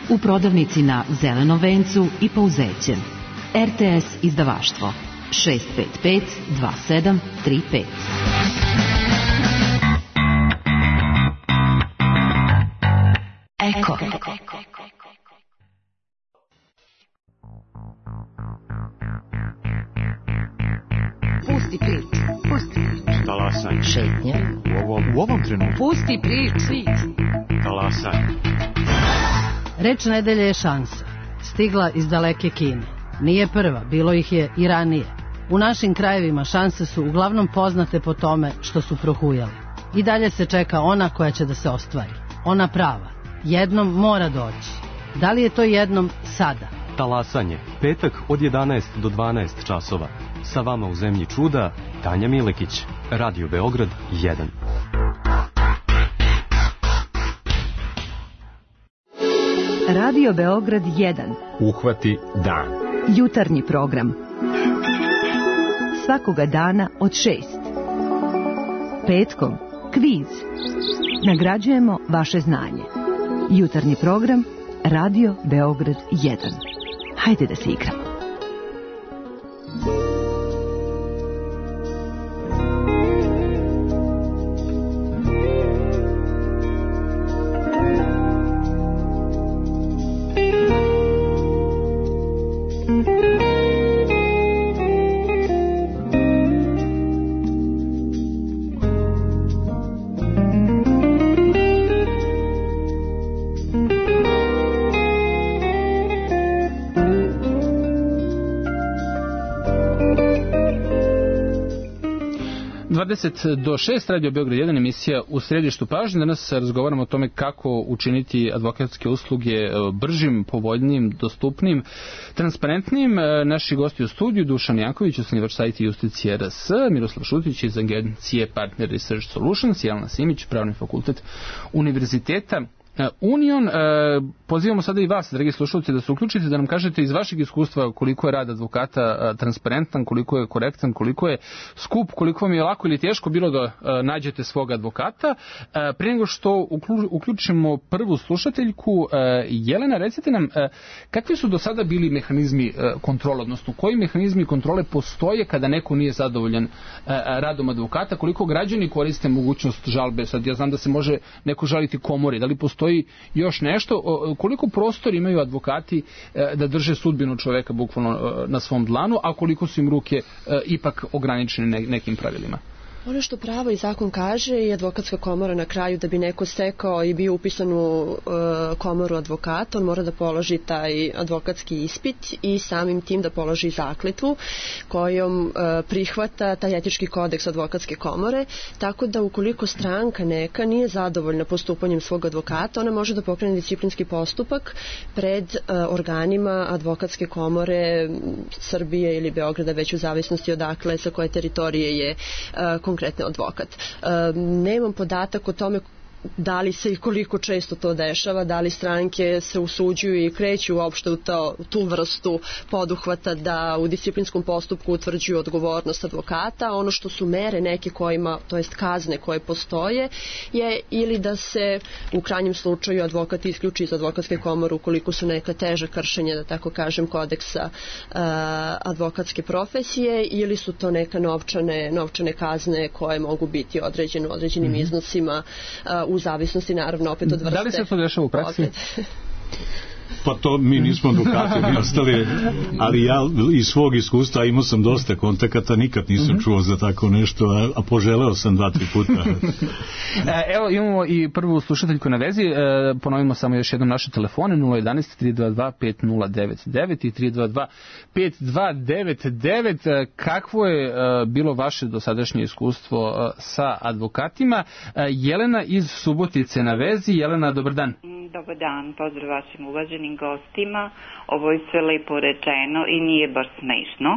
U prodavnici na Zelenom vencu i Pouzećem. R T S izdavaštvo šest pet pet dva sedam tri pet. Eko. Pusti priču. Pusti priču. Talasaj. Šetnja. U ovom, u ovom trenutku. Pusti priču. Talasaj. Reč nedelje je šansa. Stigla iz daleke Kine. Nije prva, bilo ih je i ranije. U našim krajevima šanse su uglavnom poznate po tome što su prohujale. I dalje se čeka ona koja će da se ostvari. Ona prava. jednom mora doći. Da li je to jednom sada? Talasanje, petak od jedanaest do dvanaest časova. Sa vama u zemlji čuda, Tanja Milekić, Radio Beograd jedan. Radio Beograd jedan. Uhvati dan. Jutarnji program. Svakoga dana od šest. Petkom kviz. Nagrađujemo vaše znanje. Jutarnji program Radio Beograd jedan. Hajde da se igramo. dvadeset do šest, Radio Beograd jedan, emisija U središtu pažnje. Danas razgovaramo o tome kako učiniti advokatske usluge bržim, povoljnijim, dostupnim, transparentnim. Naši gosti u studiju: Dušan Janković, osnivač sajta Justicije R S, Miroslav Šutić iz agencije Partner Research Solutions, Jelena Simić, Pravni fakultet Univerziteta Union. Pozivamo sada i vas, dragi slušalci, da se uključite, da nam kažete iz vašeg iskustva koliko je rad advokata transparentan, koliko je korektan, koliko je skup, koliko vam je lako ili teško bilo da nađete svog advokata. Prije nego što uključimo prvu slušateljku, Jelena, recite nam kakvi su do sada bili mehanizmi kontrole, odnosno koji mehanizmi kontrole postoje kada neko nije zadovoljan radom advokata, koliko građani koriste mogućnost žalbe? Sad ja znam da se može neko žaliti komori, da li postoji još nešto, koliko prostor imaju advokati da drže sudbinu čoveka bukvalno na svom dlanu, a koliko su im ruke ipak ograničene nekim pravilima? Ono što pravo i zakon kaže i advokatska komora na kraju, da bi neko stekao i bio upisan u e, komoru advokata, on mora da položi taj advokatski ispit i samim tim da položi zakletvu kojom e, prihvata taj etički kodeks advokatske komore, tako da ukoliko stranka neka nije zadovoljna postupanjem svog advokata, ona može da pokrene disciplinski postupak pred e, organima advokatske komore Srbije ili Beograda, već u zavisnosti odakle, sa koje teritorije je e, konkretni advokat. E, nemam podatak o tome da li se i koliko često to dešava, da li stranke se usuđuju i kreću uopšte u to, tu vrstu poduhvata da u disciplinskom postupku utvrđuju odgovornost advokata. Ono što su mere neke kojima, to jest kazne koje postoje, je ili da se u krajnjem slučaju advokat isključi iz advokatske komore ukoliko su neka teža kršenja, da tako kažem, kodeksa uh, advokatske profesije, ili su to neka novčane, novčane kazne koje mogu biti određene u određenim mm-hmm. iznosima uh, u zavisnosti naravno opet od vrste. Da li se to dešava u praksi? Pa to mi nismo advokati, mi ostali, ali ja iz svog iskustva imao sam dosta kontakata, nikad nisam mm-hmm. čuo za tako nešto, a, a poželeo sam dva, tri puta. Evo, imamo i prvu slušateljku na vezi, e, ponovimo samo još jednom naše telefone: nula jedan jedan tri dva dva pet nula devet devet i tri dva dva pet dva devet devet. Kakvo je e, bilo vaše dosadašnje iskustvo e, sa advokatima? E, Jelena iz Subotice na vezi. Jelena, dobar dan. Dobar dan, pozdrav vašim uvaženim gostima. Ovo je sve lepo rečeno i nije baš smešno.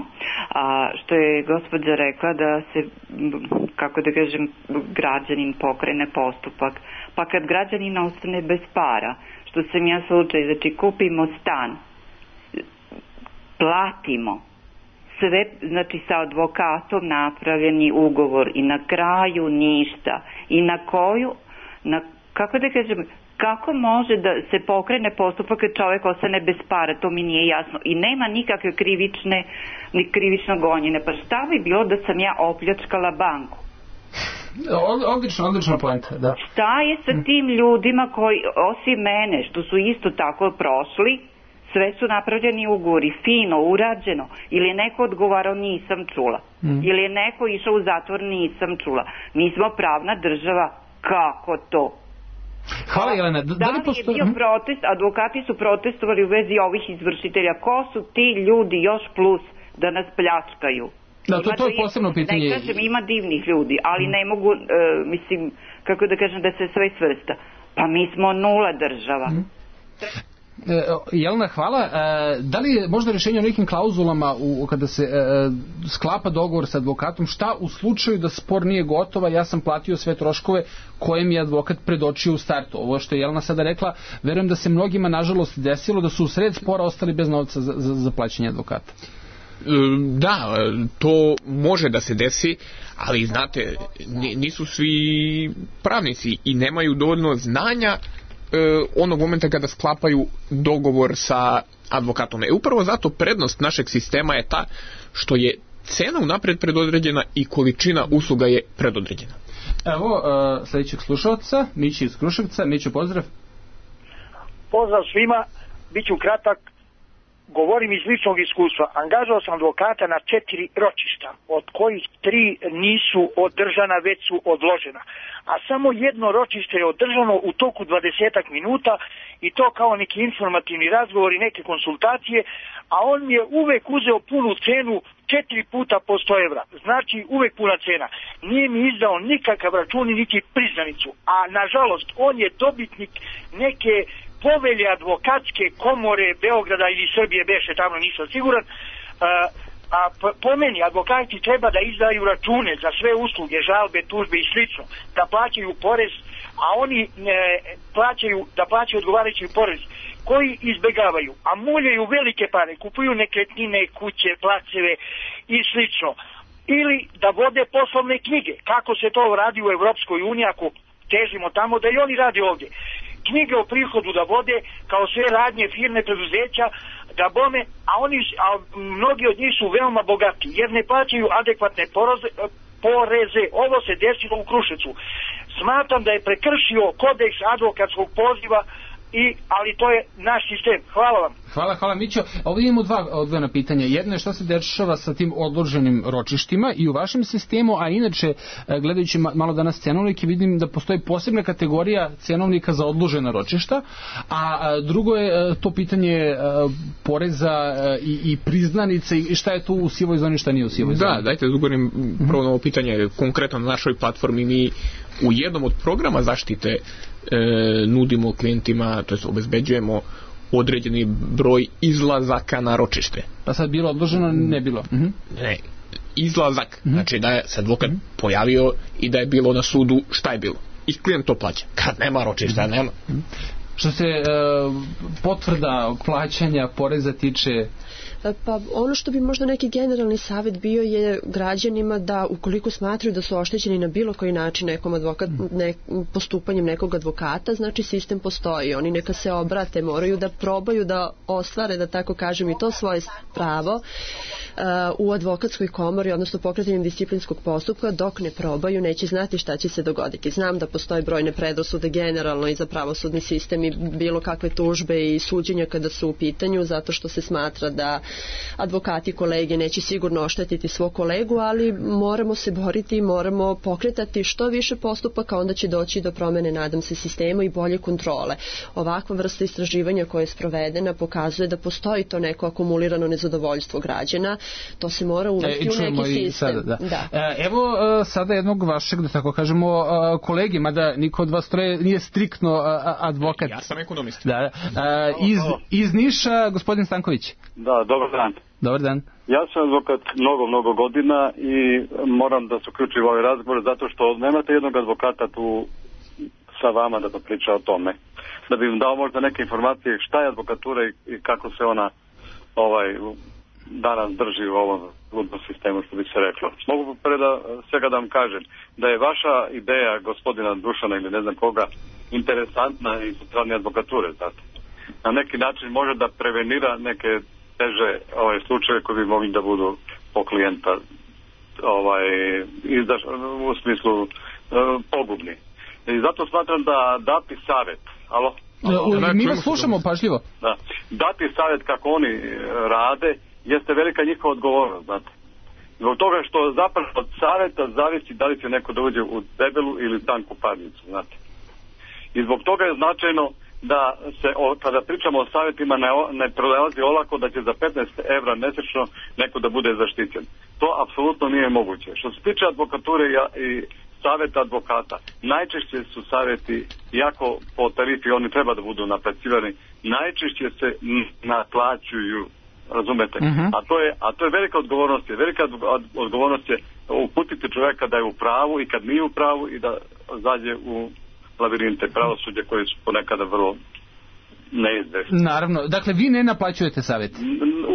A, što je gospođa rekla da se, kako da kažem, građanin pokrene postupak. Pa kad građanin ostane bez para, što sam ja slučaj, znači kupimo stan, platimo, sve, znači sa advokatom napravljeni ugovor i na kraju ništa. I na koju, na, kako da kažem, kako može da se pokrene postupak kad čovjek ostane bez para, to mi nije jasno. I nema nikakve krivične, ni krivično gonjene. Pa šta bi bilo da sam ja opljačkala banku? Odlično, odlično poenta, da. Šta je sa tim ljudima koji, osim mene, što su isto tako prošli, sve su napravljeni ugovori, fino, urađeno, ili je neko odgovarao, nisam čula. Mm. Ili je neko išao u zatvor, nisam čula. Mi smo pravna država, kako to? Hvala, Jelena. Da, da li posto... je bio protest, advokati su protestovali u vezi ovih izvršitelja. Ko su ti ljudi još plus da nas pljačkaju? Da, to, to je posebno pitanje. Ne kažem, ima divnih ljudi, ali ne mogu, uh, mislim, kako da kažem, da se sve svrsta. Pa mi smo nula država. Mm. E, Jelena, hvala. E, da li je možda rješenje o nekim klauzulama u, kada se e, sklapa dogovor sa advokatom, šta u slučaju da spor nije gotova, ja sam platio sve troškove koje mi je advokat predočio u startu. Ovo što je Jelena sada rekla, verujem da se mnogima nažalost desilo da su u sred spora ostali bez novca za, za, za plaćanje advokata. Da, to može da se desi, ali znate, nisu svi pravnici i nemaju dovoljno znanja onog momenta kada sklapaju dogovor sa advokatom. E upravo zato prednost našeg sistema je ta što je cena unapred predodređena i količina usluga je predodređena. Evo uh, sljedećeg slušalca, Mići iz Kruševca. Miću, pozdrav. Pozdrav svima, bit ću kratak. Govorim iz ličnog iskustva. Angažao sam advokata na četiri ročišta, od kojih tri nisu održana, već su odložena. A samo jedno ročište je održano u toku dvadesetak minuta i to kao neki informativni razgovor i neke konsultacije, a on je uvek uzeo punu cenu četiri puta po sto evra. Znači uvek puna cena. Nije mi izdao nikakav račun niti priznanicu. A nažalost on je dobitnik neke povelje advokatske komore Beograda ili Srbije, beše tamo, nisam siguran. A, a po meni advokati treba da izdaju račune za sve usluge, žalbe, tužbe i slično, da plaćaju porez, a oni ne, plaćaju, da plaćaju odgovarajući porez, koji izbegavaju, a muljaju velike pare, kupuju nekretnine, kuće, placeve i slično. Ili da vode poslovne knjige, kako se to radi u Evropskoj uniji, ako težimo tamo, da i oni radi ovdje. Knjige o prihodu da vode, kao sve radnje, firme, preduzeća, da bome, a oni, a mnogi od njih su veoma bogati, jer ne plaćaju adekvatne poroze, poreze. Ovo se desilo u Kruševcu. Smatram da je prekršio kodeks advokatskog poziva, I, ali to je naš sistem. Hvala vam. Hvala, hvala Mićo. Ovdje imamo dva odvojena pitanja. Jedno je što se dešava sa tim odloženim ročištima i u vašem sistemu, a inače, gledajući malo danas cenovnike, vidim da postoji posebna kategorija cenovnika za odložena ročišta, a drugo je to pitanje poreza i, i priznanice i šta je tu u sivoj zoni, šta nije u sivoj zoni. Da, dajte da odgovorim prvo na ovo pitanje. Konkretno na našoj platformi mi u jednom od programa zaštite e, nudimo klijentima, to jest obezbeđujemo određeni broj izlazaka na ročište. Pa sad bilo odloženo, ne bilo? Uh-huh. Ne, izlazak, uh-huh. Znači da je se advokat uh-huh. pojavio i da je bilo na sudu šta je bilo. I klijent to plaća. Kad nema ročišta, uh-huh. nema. Uh-huh. Što se e, potvrda plaćanja poreza tiče... Pa ono što bi možda neki generalni savjet bio je građanima da ukoliko smatraju da su oštećeni na bilo koji način nekom advokat, ne, postupanjem nekog advokata, znači sistem postoji. Oni neka se obrate, moraju da probaju da ostvare, da tako kažem, i to svoje pravo uh, u advokatskoj komori, odnosno pokretanjem disciplinskog postupka. Dok ne probaju, neće znati šta će se dogoditi. Znam da postoje brojne predrasude generalno i za pravosudni sistem i bilo kakve tužbe i suđenja kada su u pitanju, zato što se smatra da advokati kolege neće sigurno oštetiti svog kolegu, ali moramo se boriti i moramo pokretati što više postupaka, onda će doći do promene, nadam se, sistema i bolje kontrole. Ovakva vrsta istraživanja koja je sprovedena pokazuje da postoji to neko akumulirano nezadovoljstvo građana, to se mora uvesti e, u neki sistem. Sada, da. Da. E, evo sada jednog vašeg, da tako kažemo, kolegi, mada niko od vas troje nije striktno advokat. Ja sam ekonomist. Da, iz, iz Niša, gospodin Stanković. Da, dobar dan. Dobar dan. Ja sam advokat mnogo, mnogo godina i moram da se uključim u ovaj razgovor zato što nemate jednog advokata tu sa vama da priča o tome. Da bi im dao možda neke informacije šta je advokatura i kako se ona ovaj danas drži u ovom ludnom sistemu, što bi se reklo. Mogu preda svega da vam kažem da je vaša ideja gospodina Dušana ili ne znam koga interesantna i sa strane advokature, znate. Na neki način može da prevenira neke teže ovaj slučaje koji bi mogli da budu po klijenta ovaj izdaš, u smislu e, pogubni. I zato smatram da dati savjet, alo? alo? Mi vas slušamo pažljivo. Da. Dati savjet kako oni rade jeste velika njihova odgovornost, znate. Zbog toga što zapravo od savjeta zavisi da li će neko da uđe u debelu ili tanku parnicu, znate. I zbog toga je značajno da se, o, kada pričamo o savjetima, ne, ne prelazi olako da će za petnaest evra mjesečno neko da bude zaštićen. To apsolutno nije moguće. Što se tiče advokature ja, i savjeta advokata. Najčešće su savjeti, iako po tarifi oni treba da budu naplaćivani, najčešće se naplaćuju, razumete? Uh-huh. A to je a to je velika odgovornost, je velika odgovornost je uputiti čovjeka da je u pravu i kad nije u pravu i da zađe u labirinte pravosuđa koji su ponekada vrlo neizvešni. Naravno, dakle vi ne naplaćujete savjet?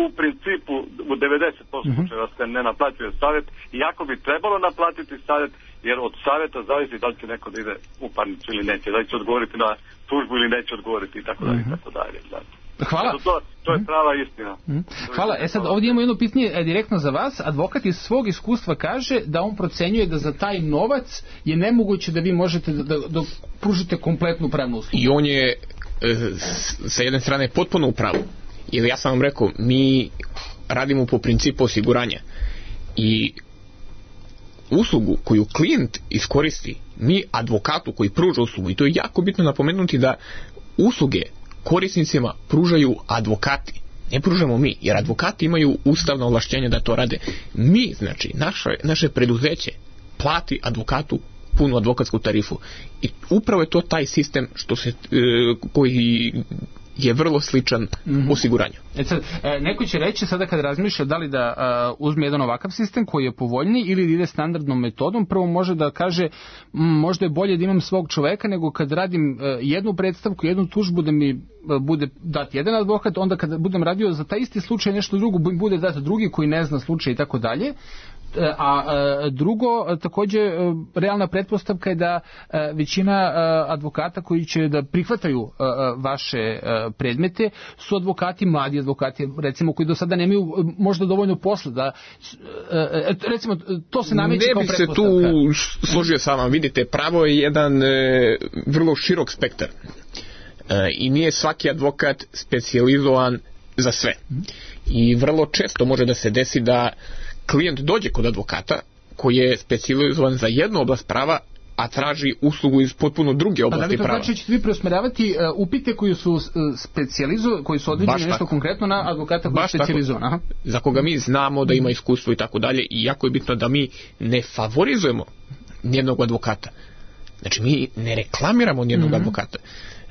U principu u devedeset posto uh-huh. slučajeva se ne naplaćuje savjet, iako bi trebalo naplatiti savjet, jer od savjeta zavisi da li će neko da ide u parnicu ili neće, da li će odgovoriti na tužbu ili neće odgovoriti i tako dalje i tako dalje. Hvala. To, to je prava istina. Hvala. E sad ovdje imamo jedno pitanje direktno za vas. Advokat iz svog iskustva kaže da on procenjuje da za taj novac je nemoguće da vi možete da, da, da pružite kompletnu pravnu uslugu. I on je e, sa jedne strane potpuno u pravu. Jer ja sam vam rekao, mi radimo po principu osiguranja. I uslugu koju klijent iskoristi, mi advokatu koji pruža uslugu, i to je jako bitno napomenuti da usluge korisnicima pružaju advokati, ne pružamo mi, jer advokati imaju ustavno ovlašćenje da to rade. Mi, znači, naše, naše preduzeće plati advokatu punu advokatsku tarifu i upravo je to taj sistem što se, e, koji je vrlo sličan mm-hmm. osiguranju. E sad, neko će reći sada kad razmišlja da li da uh, uzme jedan ovakav sistem koji je povoljniji ili da ide standardnom metodom, prvo može da kaže m, možda je bolje da imam svog čoveka nego kad radim uh, jednu predstavku, jednu tužbu da mi uh, bude dat jedan advokat, onda kad budem radio za taj isti slučaj nešto drugo bude dat drugi koji ne zna slučaj i tako dalje. A drugo, također realna pretpostavka je da većina advokata koji će da prihvataju vaše predmete su advokati, mladi advokati, recimo koji do sada nemaju možda dovoljno posla da, recimo, to se nameće kao pretpostavka. Ne bih se tu složio sa vama, vidite, pravo je jedan vrlo širok spektar i nije svaki advokat specijalizovan za sve. I vrlo često može da se desi da klijent dođe kod advokata koji je specijalizovan za jednu oblast prava, a traži uslugu iz potpuno druge oblasti prava. Pa da li to znači ćete vi preusmeravati uh, upite koji su uh, specijalizovani, koji su određeni nešto konkretno na advokata koji je specijalizovan? Za koga mi znamo da ima iskustvo i tako dalje, i jako je bitno da mi ne favorizujemo nijednog advokata. Znači mi ne reklamiramo nijednog mm-hmm. advokata.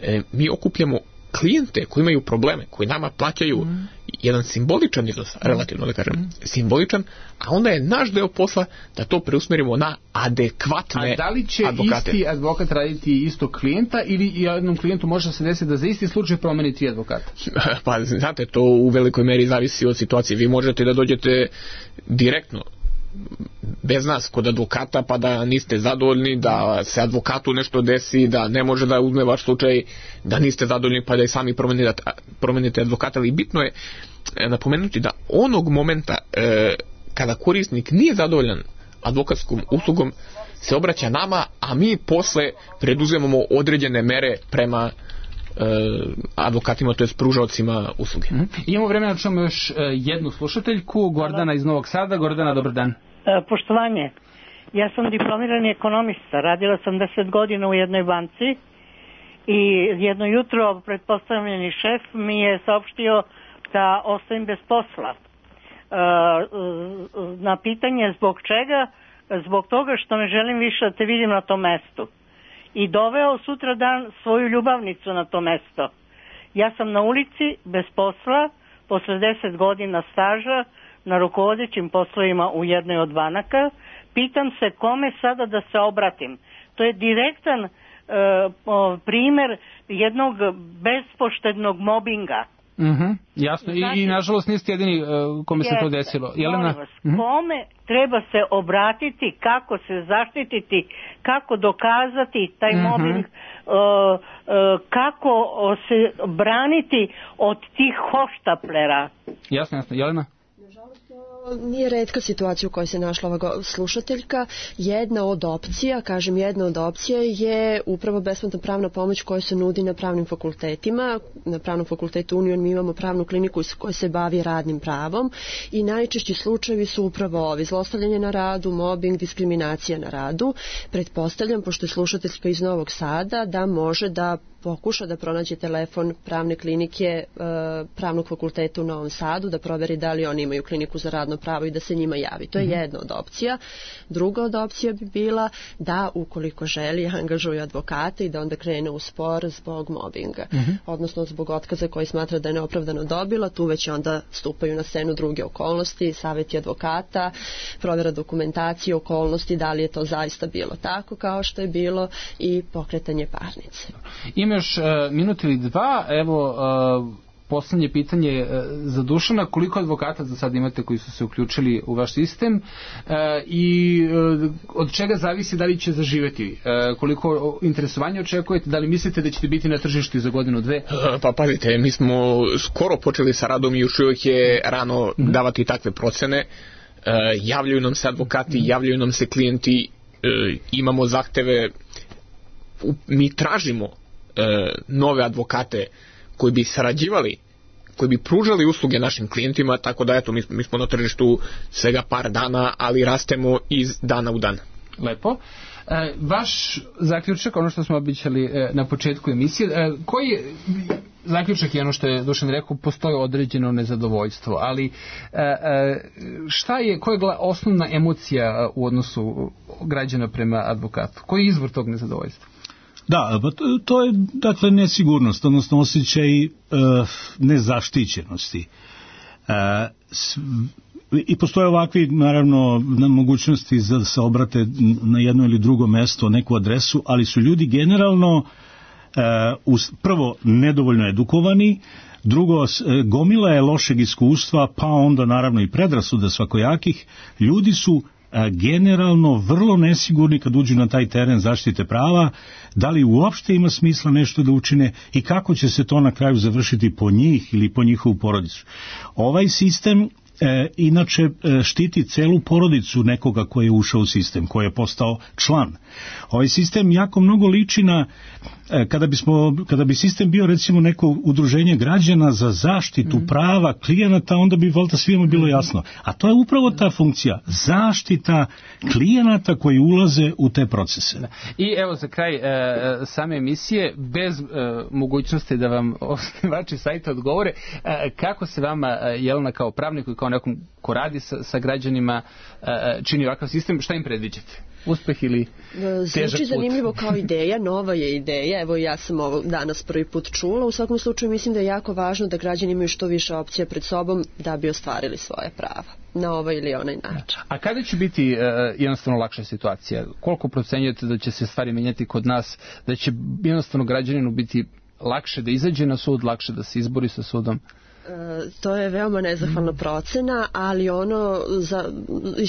E, mi okupljamo klijente koji imaju probleme, koji nama plaćaju mm. jedan simboličan iznos, relativno da kažem, mm. simboličan, a onda je naš deo posla da to preusmerimo na adekvatne advokate. A da li će advokate. Isti advokat raditi isto klijenta ili jednom klijentu može se desiti da za isti slučaj promeni tri advokata? Pa znate, to u velikoj meri zavisi od situacije. Vi možete da dođete direktno bez nas kod advokata pa da niste zadovoljni, da se advokatu nešto desi, da ne može da uzme vaš slučaj, da niste zadovoljni pa da i sami promenite, promenite advokata, ali bitno je napomenuti da onog momenta e, kada korisnik nije zadovoljan advokatskom uslugom se obraća nama, a mi posle preduzemamo određene mere prema e, advokatima, to je pružaocima usluge. Mm-hmm. Imamo vremena da čujemo još e, jednu slušateljku, Gordana iz Novog Sada. Gordana, dobar dan. E, poštovanje, ja sam diplomirani ekonomista, radila sam deset godina u jednoj banci i jedno jutro pretpostavljeni šef mi je saopštio da ostajem bez posla. E, na pitanje zbog čega, zbog toga što ne želim više da te vidim na tom mestu. I doveo sutra dan svoju ljubavnicu na to mesto. Ja sam na ulici, bez posla, posle deset godina staža, na rukovodećim poslovima u jednoj od banaka. Pitam se kome sada da se obratim. To je direktan e, primjer jednog bespoštednog mobinga. Mm-hmm, jasno, znači, i, i nažalost niste jedini uh, kome se to desilo. Jelena? Vas, mm-hmm. Kome treba se obratiti, kako se zaštititi, kako dokazati taj mm-hmm. mobbing, uh, uh, kako se braniti od tih hoštaplera. Jasno, jasno. Jelena? Nije retka situacija u kojoj se našla ova slušateljka. Jedna od opcija, kažem jedna od opcija je upravo besplatna pravna pomoć koja se nudi na pravnim fakultetima. Na pravnom fakultetu Union mi imamo pravnu kliniku koja se bavi radnim pravom i najčešći slučajevi su upravo ovi: zlostavljanje na radu, mobbing, diskriminacija na radu. Pretpostavljam, pošto je slušateljka iz Novog Sada, da može da pokuša da pronađe telefon pravne klinike Pravnog fakulteta u Novom Sadu, da proveri da li oni imaju kliniku za radno pravo i da se njima javi. To je mm-hmm. jedna od opcija. Druga od opcija bi bila da, ukoliko želi, angažuju advokata i da onda krene u spor zbog mobinga, mm-hmm. odnosno zbog otkaza koji smatra da je neopravdano dobila. Tu već onda stupaju na scenu druge okolnosti, savjeti advokata, provjera dokumentacije, okolnosti, da li je to zaista bilo tako kao što je bilo i pokretanje parnice. Imaš uh, minut ili dva, evo uh, poslednje pitanje uh, za Dušana, koliko advokata za sad imate koji su se uključili u vaš sistem uh, i uh, od čega zavisi da li će zaživeti, uh, koliko interesovanja očekujete, da li mislite da ćete biti na tržištu za godinu, dve? Uh, pa pazite, mi smo skoro počeli sa radom i još uvijek je rano mm-hmm. davati takve procene. Uh, javljaju nam se advokati, mm-hmm. javljaju nam se klijenti, uh, imamo zahteve, u, mi tražimo E, nove advokate koji bi sarađivali, koji bi pružali usluge našim klijentima, tako da eto, mi, mi smo na tržištu svega par dana, ali rastemo iz dana u dan. Lepo. E, vaš zaključak, ono što smo običali e, na početku emisije, e, koji je zaključak je ono što je Dušan rekao, postoji određeno nezadovoljstvo, ali e, e, šta je, koja je osnovna emocija u odnosu građana prema advokatu? Koji je izvor tog nezadovoljstva? Da, pa to, to je dakle nesigurnost, odnosno osjećaj e, nezaštićenosti. E, s, I postoje ovakvi, naravno, mogućnosti za da se obrate na jedno ili drugo mesto, neku adresu, ali su ljudi generalno e, us, prvo nedovoljno edukovani, drugo, e, gomila je lošeg iskustva, pa onda naravno i predrasuda svakojakih. Ljudi su generalno vrlo nesigurni kad uđu na taj teren zaštite prava, da li uopšte ima smisla nešto da učine i kako će se to na kraju završiti po njih ili po njihovu porodicu. Ovaj sistem e, inače e, štiti celu porodicu nekoga koji je ušao u sistem, koji je postao član. Ovaj sistem jako mnogo liči na e, kada bismo, kada bi sistem bio recimo neko udruženje građana za zaštitu mm. prava klijenata, onda bi valjda svima bilo jasno. A to je upravo ta funkcija, zaštita klijenata koji ulaze u te procese. Da. I evo za kraj e, same emisije, bez e, mogućnosti da vam osnivači sajta odgovore, e, kako se vama, Jelena, kao pravniku i kao nekom ko radi sa, sa građanima, e, čini ovakav sistem, šta im predviđate? Uspeh ili težak put? Zvuči zanimljivo kao ideja, nova je ideja, evo ja sam ovo danas prvi put čula, u svakom slučaju mislim da je jako važno da građani imaju što više opcija pred sobom da bi ostvarili svoje prava na ovaj ili onaj način. A kada će biti uh, jednostavno lakša situacija? Koliko procenjujete da će se stvari menjati kod nas, da će jednostavno građaninu biti lakše da izađe na sud, lakše da se izbori sa sudom? E, to je veoma nezahvalna procena, ali ono za,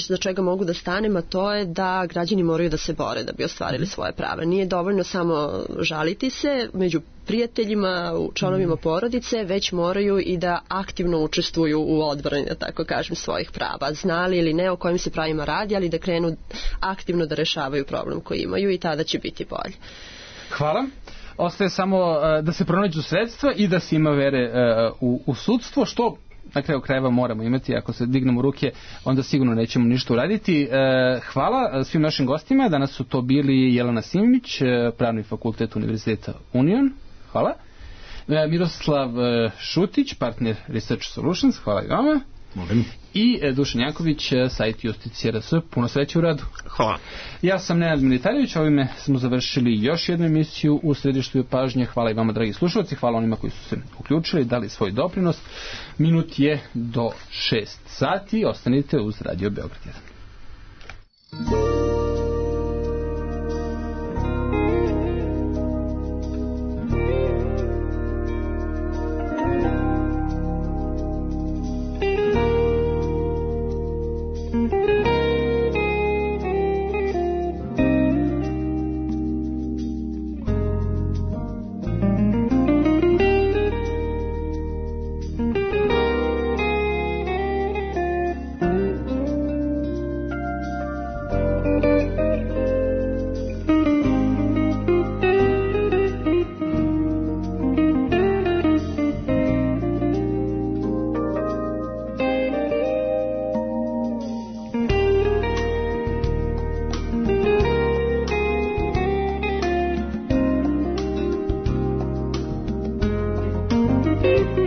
za čega mogu da stanem, a to je da građani moraju da se bore da bi ostvarili svoje prava. Nije dovoljno samo žaliti se među prijateljima, članovima porodice, već moraju i da aktivno učestvuju u odbrani, da tako kažem, svojih prava. Znali ili ne o kojim se pravima radi, ali da krenu aktivno da rešavaju problem koji imaju i tada će biti bolje. Hvala. Ostaje samo uh, da se pronađu sredstva i da se ima vere uh, u, u sudstvo, što na kraju krajeva moramo imati. Ako se dignemo ruke, onda sigurno nećemo ništa uraditi. Uh, hvala svim našim gostima. Danas su to bili Jelena Simić, uh, Pravni fakultet Univerziteta Union. Hvala. Uh, Miroslav uh, Šutić, partner Research Solutions. Hvala i vama. Molim. I Dušan Janković, sajt Justicija R S. Puno sreće u radu. Hvala. Ja sam Nenad Militarević, ovime smo završili još jednu emisiju u središtu pažnje. Hvala i vama, dragi slušalci, hvala onima koji su se uključili, dali svoj doprinos. Minut je do šest sati, ostanite uz Radio Beograd jedan. Thank you. Thank you.